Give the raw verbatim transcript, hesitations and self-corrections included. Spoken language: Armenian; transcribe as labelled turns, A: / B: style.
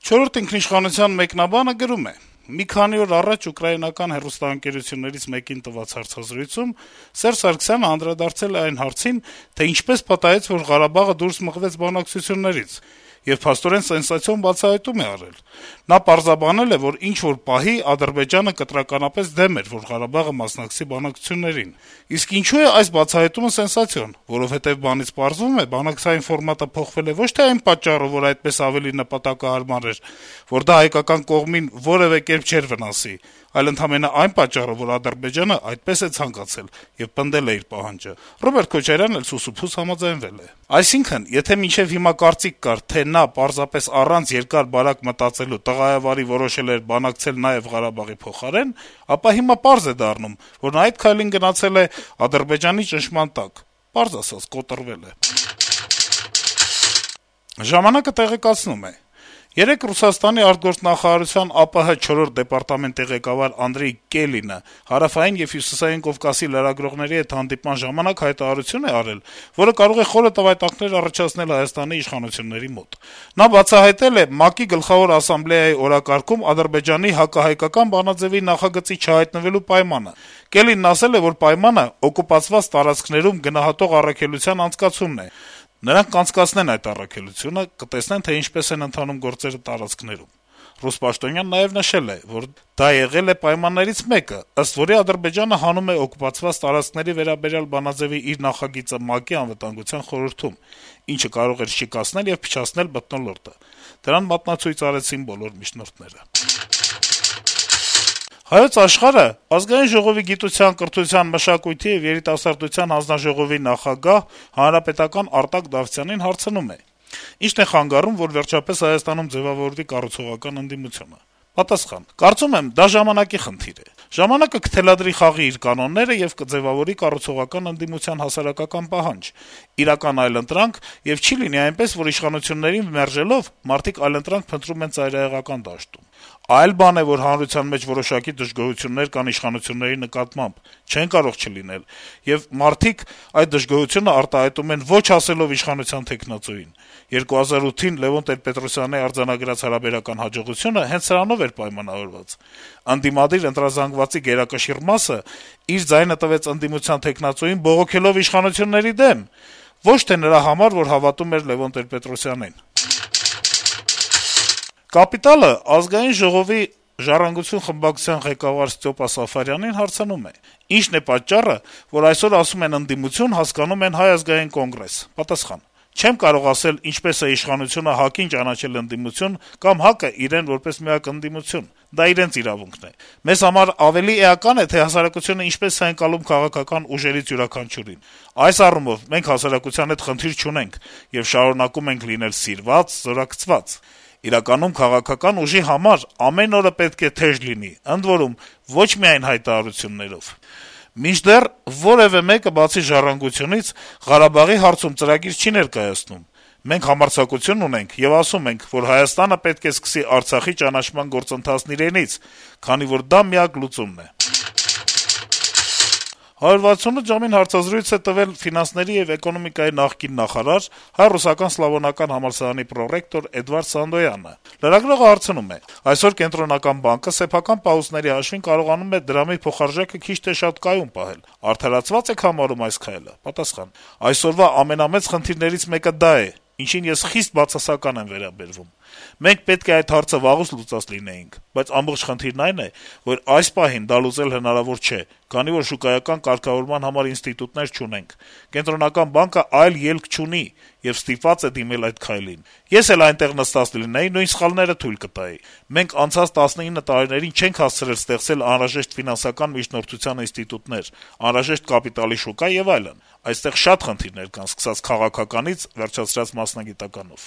A: «Չորրորդ ինքնիշխանության» մեկնաբանը գրում է. - «Մի քանի օր առաջ ուկրաինական հեռուստաընկերություններից մեկին տված հարցազրույցում Սերժ Սարգսյանը անդրադարձել է այն հարցին, թե ինչպես պատահեց, որ Ղարաբաղը դուրս մղվեց բանակցություններից, եւ փաստորեն սենսացիոն բացահայտում է արել: Նա պարզաբանել է, որ ինչ-որ պահի Ադրբեջանը կտրականապես դեմ էր, որ Ղարաբաղը մասնակցի բանակցություններին: Իսկ ինչու է այս բացահայտումը սենսացիոն: Որովհետեւ բանից պարզվում է, բանակցային ֆորմատը փոխվել է ոչ թե այն պատճառով, որ այդպես ավելի նպատակահարմար էր, որ դա հայկական կողմին որեւէ կերպ չէր վնասի, այլ ընդամենը այն պատճառով, որ Ադրբեջանը այդպես է ցանկացել եւ պնդել է իր պահանջը: Ռոբերտ Քոչարյանն էլ սուսուփուս համաձայնվել է: Այսինքն, եթե մինչեւ հիմա կարծիք կար, թե նա պարզապես առանց երկար-բարակ մտածելու տղայավարի որոշել էր բանակցել նաեւ Ղարաբաղի փոխարեն, ապա հիմա պարզ է դառնում, որ նա այդ քայլին գնացել է Ադրբեջանի ճնշման տակ, պարզ ասած՝ կոտրվել է»: «Ժամանակ»-ը տեղեկացնում է. - «Երեկ Ռուսաստանի արտգործնախարարության ԱՊՀ չորրորդ դեպարտամենտի ղեկավար Անդրեյ Կելինը Հարավային եւ Հյուսիսային Կովկասի լրագրողների հետ հանդիպման ժամանակ հայտարարություն է արել, որը կարող է խորը տվայտակներ առաջացնել Հայաստանի իշխանությունների մոտ: Նա բացահայտել է ՄԱԿ-ի Գլխավոր ասամբլեայի օրակարգում Ադրբեջանի հակահայկական բանաձեւի նախագծի չհայտնվելու պայմանը: Կելինն ասել է, որ պայմանը օկուպացված տարածքներում գնահատող առաքելության անցկացումն է: Նրանք կանցկացնեն այդ առաքելությունը, կտեսնեն, թե ինչպես են ընթանում գործերը տարածքներում: Ռուս պաշտոնյան նաեւ նշել է, որ դա եղել է պայմաններից մեկը, ըստ որի Ադրբեջանը հանում է օկուպացված տարածքների վերաբերյալ բանաձեւի իր նախագիծը ՄԱԿ-ի Անվտանգության խորհրդում, ինչը կարող էր շիկացնել եւ փչացնել մթնոլորտը: Դրան մատնացույց արեցին բոլոր միջնորդները»: «Հայոց Աշխարհ»-ը Ազգային ժողովի գիտության, կրթության, մշակույթի եւ երիտասարդության հանձնաժողովի նախագահ, հանրապետական Արտակ Դավթյանին հարցնում է. - «Ի՞նչն է խանգարում, որ վերջապես Հայաստանում ձեւավորվի կառուցողական ընդդիմությունը»: Պատասխան. - «Կարծում եմ, դա ժամանակի խնդիր է: Ժամանակը կթելադրի խաղի իր կանոնները եւ կձեւավորի կառուցողական ընդդիմության հասարակական պահանջ, իրական այլընտրանք, եւ չի լինի այնպես, որ իշխանություններին մերժելով` մարդիկ այլընտրանք փնտրում են ծայրահեղական դաշտում: Այլ բան է, որ հանրության մեջ որոշակի դժգոհություններ կան իշխանությունների նկատմամբ, չեն կարող չլինել, եւ մարդիկ այդ դժգոհությունը արտահայտում են ոչ ասելով իշխանության թեկնածուին: երկու հազար ութին Լեւոն Տեր-Պետրոսյանի արձանագրած հարաբերական հաջողությունը հենց սրանով էր պայմանավորված: Ընդդիմադիր ընտրազանգվածի գերակշիռ մասը իր ձայնը տվեց ընդդիմության թեկնածուին բողոքելով իշխանությունների դեմ, ոչ թե նրա համար, որ հավատում էր Լեւոն Տեր-Պետրոսյանին»: «Կապիտալ»-ը Ազգային ժողովի «Ժառանգություն» խմբակցության ղեկավար Ստյոպա Սաֆարյանին հարցնում է. - «Ի՞նչն է պատճառը, որ այսօր ասում են ընդդիմություն, հասկանում են Հայ ազգային կոնգրես»: Պատասխան. - «Չեմ կարող ասել` ինչպես է իշխանությունը ՀԱԿ-ին ճանաչել ընդդիմություն կամ ՀԱԿ-ը իրեն որպես միակ ընդդիմություն: Դա իրենց իրավունքն է: Մեզ համար ավելի էական է, թե հասարակությունը ինչպես է ընկալում քաղաքական ուժերից յուրաքանչյուրին: Այս առումով մենք հասարակության հետ խնդիր չունենք եւ շարունակում ենք լինել սիրված, զորակցված: Իրականում քաղաքական ուժի համար ամեն օրը պետք է թեժ լինի, ընդ որում, ոչ միայն հայտարարություններով: Մինչդեռ որեւէ մեկը, բացի «Ժառանգությունից», Ղարաբաղի հարցում ծրագիր չի ներկայացնում: Մենք համարձակություն ունենք եւ ասում ենք, որ Հայաստանը պետք է սկսի Արցախի ճանաչման գործընթացն իրենից, քանի որ դա միակ լուծումն է»: «հարյուր վաթսունութ ժամ»-ին հարցազրույց է տվել ֆինանսների եւ էկոնոմիկայի նախկին նախարար, Հայ-ռուսական սլավոնական համալսարանի պրոռեկտոր Էդվարդ Սանդոյանը: Լրագրողը հարցնում է. - «Այսօր Կենտրոնական բանկը սեփական պահուստների հաշվին կարողանում է դրամի փոխարժեքը քիչ թե շատ կայուն պահել: Արդարացվա՞ծ եք համարում այս քայլը»: Պատասխան. - «Այսօրվա ամենամեծ խնդիրներից մեկը դա է, ինչին ես խիստ բացասական եմ վերաբերվում: Մենք պետք է այդ հարցը վաղուց լուծած լինեինք: Բայց ամբողջ խնդիրն այն է, որ այս պահին դա լուծել հնարավոր չէ, քանի որ շուկայական կարգավորման համար ինստիտուտներ չունենք: Կենտրոնական բանկը այլ ելք չունի եւ ստիպված է դիմել այդ քայլին: Ես էլ այնտեղ նստած լինեի, նույն սխալները թույլ կտայի: Մենք անցած տասնինը տարիներին չենք հասցրել ստեղծել անհրաժեշտ ֆինանսական միջնորդության ինստիտուտներ, անհրաժեշտ կապիտալի շուկա եւ այլն: Այստեղ շատ խնդիրներ կան, սկսած քաղաքականից, վերջացրած մասնագիտականով»: